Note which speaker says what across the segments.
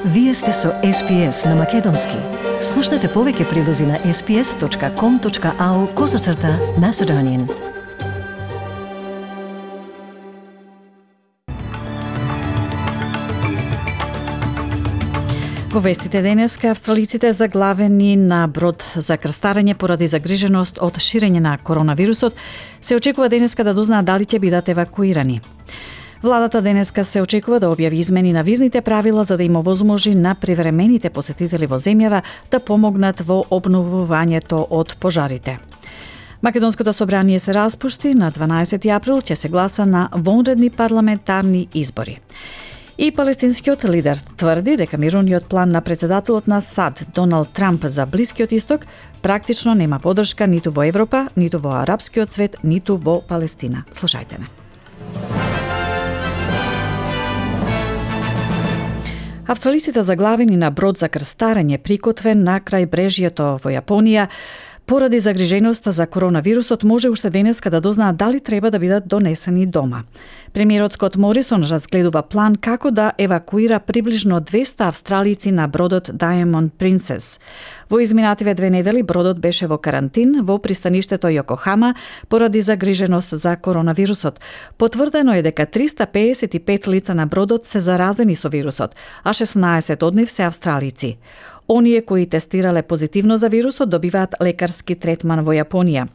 Speaker 1: Вие сте со SPS на Македонски. Слушнете повеќе прилози на sps.com.au/Macedonian. Во вестите денеска, австралиците заглавени на брод за крстарење поради загриженост од ширење на коронавирусот се очекува денеска да дознаат дали ќе бидат евакуирани. Владата денеска се очекува да објави измени на визните правила за да им овозможи на привремените посетители во земјава да помогнат во обновувањето од пожарите. Македонското собрание се распушти на 12 април, ќе се гласа на вонредни парламентарни избори. И палестинскиот лидер тврди дека мировниот план на председателот на САД Доналд Трамп за Блискиот исток практично нема поддршка ниту во Европа, ниту во арапскиот свет, ниту во Палестина. Слушајте не. Австралиците заглавени на брод за крстарење прикотвен на крајбрежјето во Јапонија поради загриженоста за коронавирусот може уште денеска да дознаат дали треба да бидат донесени дома. Премиерот Скот Морисон разгледува план како да евакуира приближно 200 австралици на бродот Diamond Princess. Во изминативе 2 недели бродот беше во карантин во пристаништето Јокохама поради загриженост за коронавирусот. Потврдено е дека 355 лица на бродот се заразени со вирусот, а 16 од нив се австралици. Оние кои тестирале позитивно за вирусот добиваат лекарски третман во Јапонија.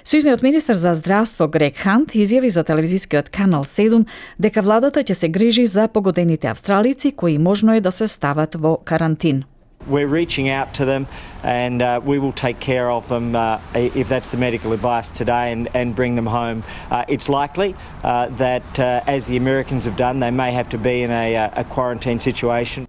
Speaker 1: Сојузниот министер за здравство Грег Хант изјави за телевизискиот канал 7 дека владата ќе се грижи за погодените австралици кои можно е да се стават во карантин.
Speaker 2: We're reaching out to them and we will take care of them if that's the medical advice today and bring them home. It's likely that as the Americans have done, they may have to be in a quarantine situation.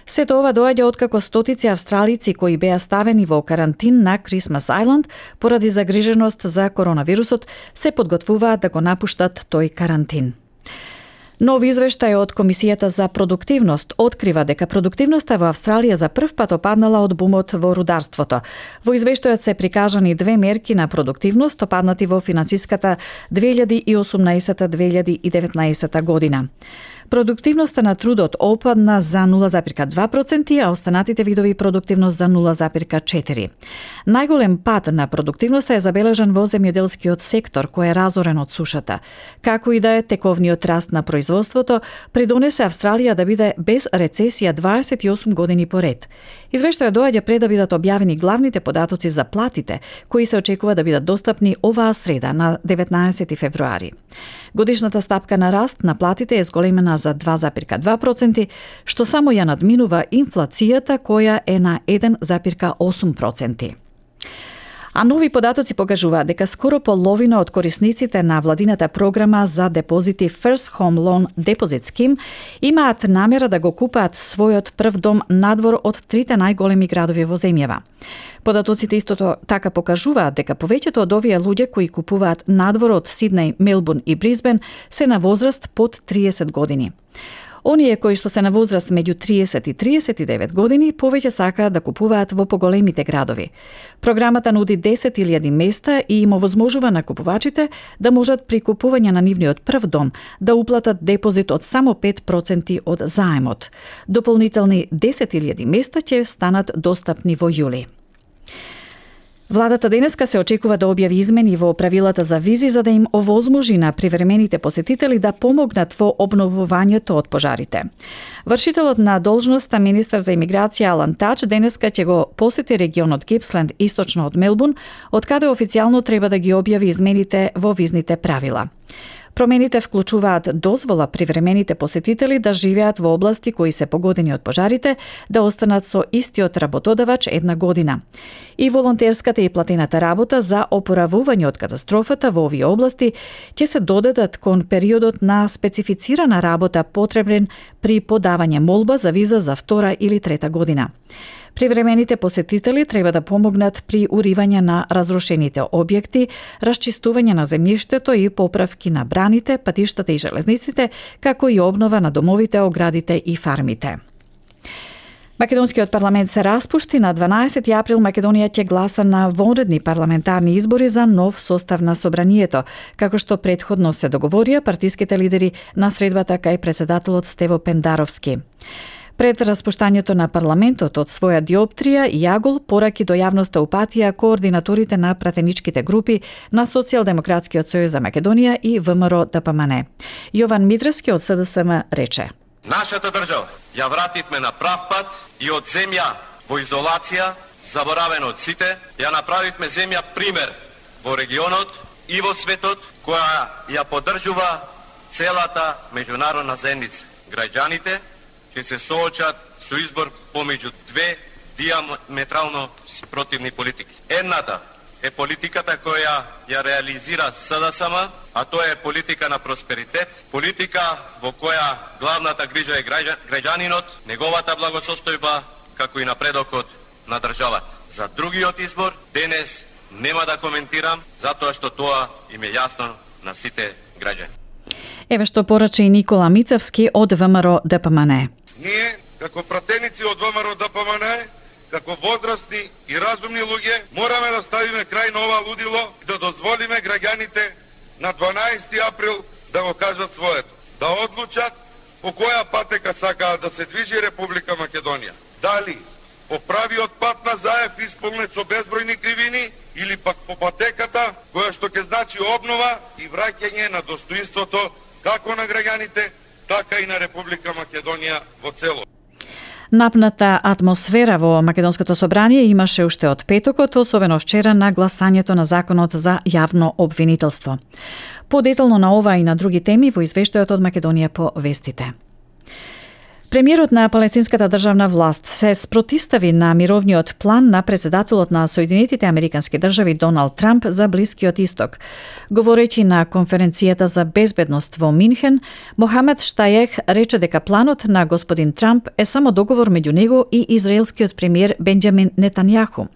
Speaker 1: Сето ова доаѓа откако стотици австралици кои беа ставени во карантин на Christmas Island поради загриженост за коронавирусот се подготвуваат да го напуштат тој карантин. Нов извештај од Комисијата за продуктивност открива дека продуктивноста во Австралија за прв пат опаднала од бумот во рударството. Во извештајот се прикажани две мерки на продуктивност опаднати во финансиската 2018-2019 година. Продуктивноста на трудот опадна за 0,2%, а останатите видови продуктивност за 0,4%. Најголем пад на продуктивноста е забележан во земјоделскиот сектор, кој е разорен од сушата. Како и да е, тековниот раст на производството придонесе Австралија да биде без рецесија 28 години поред. Извештајот доаѓа пред да бидат објавени главните податоци за платите, кои се очекува да бидат достапни оваа среда на 19 февруари. Годишната стапка на раст на платите е зголемена за 2,2%, што само ја надминува инфлацијата која е на 1,8%. А нови податоци покажуваат дека скоро половина од корисниците на владината програма за депозити First Home Loan Deposit Scheme имаат намера да го купаат својот прв дом надвор од трите најголеми градови во земјава. Податоците истото така покажуваат дека повеќето од овие луѓе кои купуваат надвор од Сиднеј, Мелбурн и Брисбен се на возраст под 30 години. Оние кои што се на возраст меѓу 30 и 39 години повеќе сакаат да купуваат во поголемите градови. Програмата нуди 10.000 места и им овозможува на купувачите да можат при купување на нивниот прв дом да уплатат депозит од само 5% од заемот. Дополнителни 10.000 места ќе станат достапни во јули. Владата денеска се очекува да објави измени во правилата за визи за да им овозможи на привремените посетители да помогнат во обновувањето од пожарите. Вршителот на должноста министер за имиграција Алан Тач денеска ќе го посети регионот Гипсленд источно од Мелбурн, од каде официјално треба да ги објави измените во визните правила. Промените вклучуваат дозвола привремените посетители да живеат во области кои се погодени од пожарите, да останат со истиот работодавач 1 година. И волонтерската и платената работа за опоравување од катастрофата во овие области ќе се додадат кон периодот на специфицирана работа потребен при подавање молба за виза за 2 или 3 година. Привремените посетители треба да помогнат при уривање на разрушените објекти, расчистување на земјиштето и поправки на браните, патиштата и железниците, како и обнова на домовите, оградите и фармите. Македонскиот парламент се распушти на 12 април. Македонија ќе гласа на вонредни парламентарни избори за нов состав на собранието, како што претходно се договорија партиските лидери на средбата кај председателот Стево Пендаровски. Пред распуштањето на парламентот од своја диоптрија, Јагол пораки до јавноста упатија координаторите на пратеничките групи на Социјалдемократскиот сојуз за Македонија и ВМРО ДПМН. Јован Мидрески од СДСМ рече:
Speaker 3: Нашата држава ја вративме на прав пат и од земја во изолација, заборавена од сите, ја направивме земја пример во регионот и во светот, која ја поддржува целата меѓународна заедница. Граѓаните ќе се соочат со избор помеѓу две диаметрално спротивни политики. Едната е политиката која ја реализира СДСМ, а тоа е политика на просперитет, политика во која главната грижа е граѓанинот, неговата благосостојба, како и напредокот на државата. За другиот избор денес нема да коментирам, затоа што тоа им е јасно на сите граѓани.
Speaker 1: Еве што порача и Никола Мицевски од ВМРО ДПМН.
Speaker 4: Ние, како пратеници од ВМРО ДПМН, како возрастни и разумни луѓе, мораме да ставиме крај на ова лудило и да дозволиме граѓаните на 12 април да го кажат своето, да одлучат по која патека сакаат да се движи Република Македонија. Дали по правиот пат на Заев исполнет со безбројни кривини или пак по патеката која што ќе значи обнова и враќање на достоинството како на граѓаните, така и на Република Македонија во цело.
Speaker 1: Напната атмосфера во Македонското собрание имаше уште од петокот, особено вчера на гласањето на законот за јавно обвинителство. Подетално на ова и на други теми во извештајот од Македонија по вестите. Премиерот на палестинската државна власт се спротивстави на мировниот план на председателот на Соединетите Американски држави Доналд Трамп за Блискиот Исток. Говорејќи на конференцијата за безбедност во Минхен, Мохамед Штајех рече дека планот на господин Трамп е само договор меѓу него и израелскиот премиер Бенџамин Нетањаху.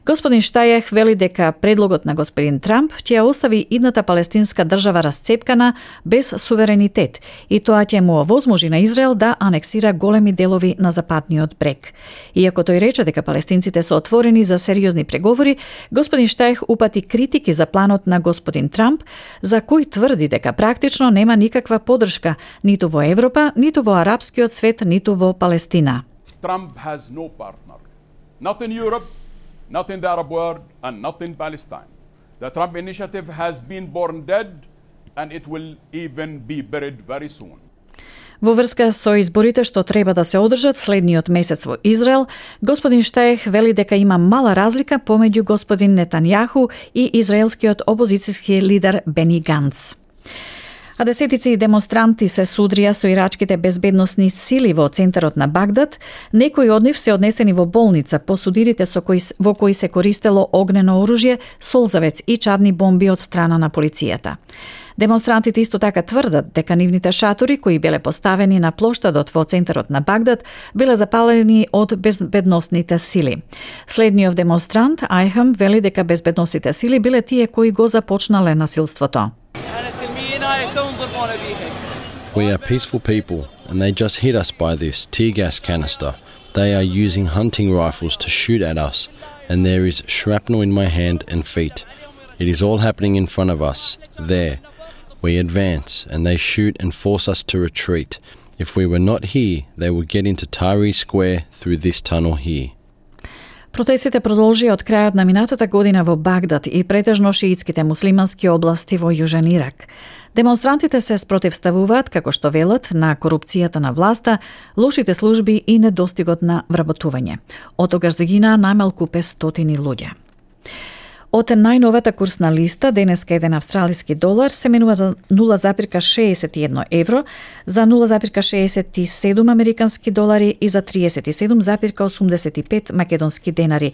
Speaker 1: Господин Штајех вели дека предлогот на господин Трамп ќе ја остави идната палестинска држава расцепкана без суверенитет и тоа ќе му овозможи на Израел да анексира големи делови на западниот брег. Иако тој рече дека палестинците се отворени за сериозни преговори, господин Штајех упати критики за планот на господин Трамп, за кој тврди дека практично нема никаква поддршка ниту во Европа, ниту во арапскиот свет, ниту во Палестина.
Speaker 5: Trump has no partner. Not in Europe, not in the Arab world, and not in Palestine. The Trump initiative has been born dead, and it will even be buried very soon.
Speaker 1: Во врска со изборите што треба да се одржат следниот месец во Израел, господин Штајех вели дека има мала разлика помеѓу господин Нетањаху и израелскиот опозицијски лидер Бени Ганц. А десетици демонстранти се судрија со ирачките безбедносни сили во центарот на Багдад. Некои од нив се однесени во болница по судирите во кои се користело огнено оружје, солзавец и чадни бомби од страна на полицијата. Демонстрантите исто така тврдат дека нивните шатори кои биле поставени на плоштадот во центарот на Багдад биле запалени од безбедносните сили. Следниот демонстрант Айхам вели дека безбедносните сили биле тие кои го започнале насилството.
Speaker 6: We are peaceful people, and they just hit us by this tear gas canister. They are using hunting rifles to shoot at us, and there is shrapnel in my hand and feet. It is all happening in front of us, there. We advance, and they shoot and force us to retreat. If we were not here, they would get into Tahrir Square through this tunnel here.
Speaker 1: Протестите продолжија од крајот на минатата година во Багдад и претежно шиитските муслимански области во Јужен Ирак. Демонстрантите се спротивставуваат, како што велат, на корупцијата на власта, лошите служби и недостигот на вработување. Од тогаш загинаа најмалку 500 луѓе. Од најновата курсна листа, денеска еден австралиски долар се менува за 0,61 евро, за 0,67 американски долари и за 37,85 македонски денари,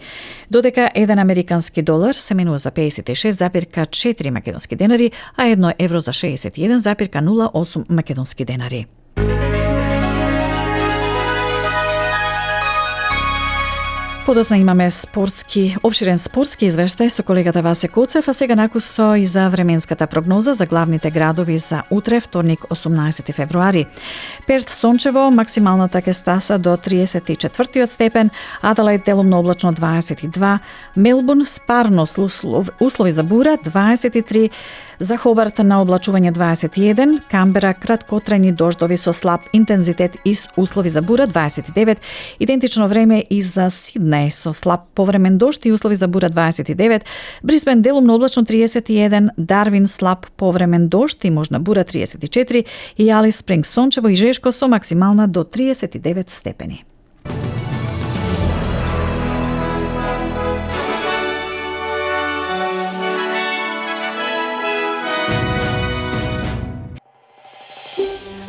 Speaker 1: додека еден американски долар се менува за 56,4 македонски денари, а 1 евро за 61,08 македонски денари. Подосна имаме обширен спортски извештај со колегата Васе Коцев, а сега накусо и за временската прогноза за главните градови за утре, вторник, 18 февруари. Перт сончево, максималната ќе стаса до 34 степен, Аделаид делумно облачно 22, Мелбурн спарно услови за бура 23, за Хобарт на облачување 21, Камбера краткотрајни дождови со слаб интензитет и услови за бура 29, идентично време и за Сиднеј со слаб повремен дожд и услови за бура 29, Брисбен делумно облачно 31, Дарвин слаб повремен дожд и можна бура 34 и Алис Спрингс сончево и жешко со максимална до 39 степени.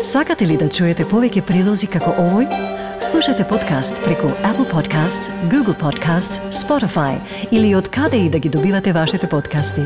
Speaker 7: Сакате ли да чуете повеќе прилози како овој? Слушате подкаст преку Apple Podcasts, Google Podcasts, Spotify или од каде и да ги добивате вашите подкасти.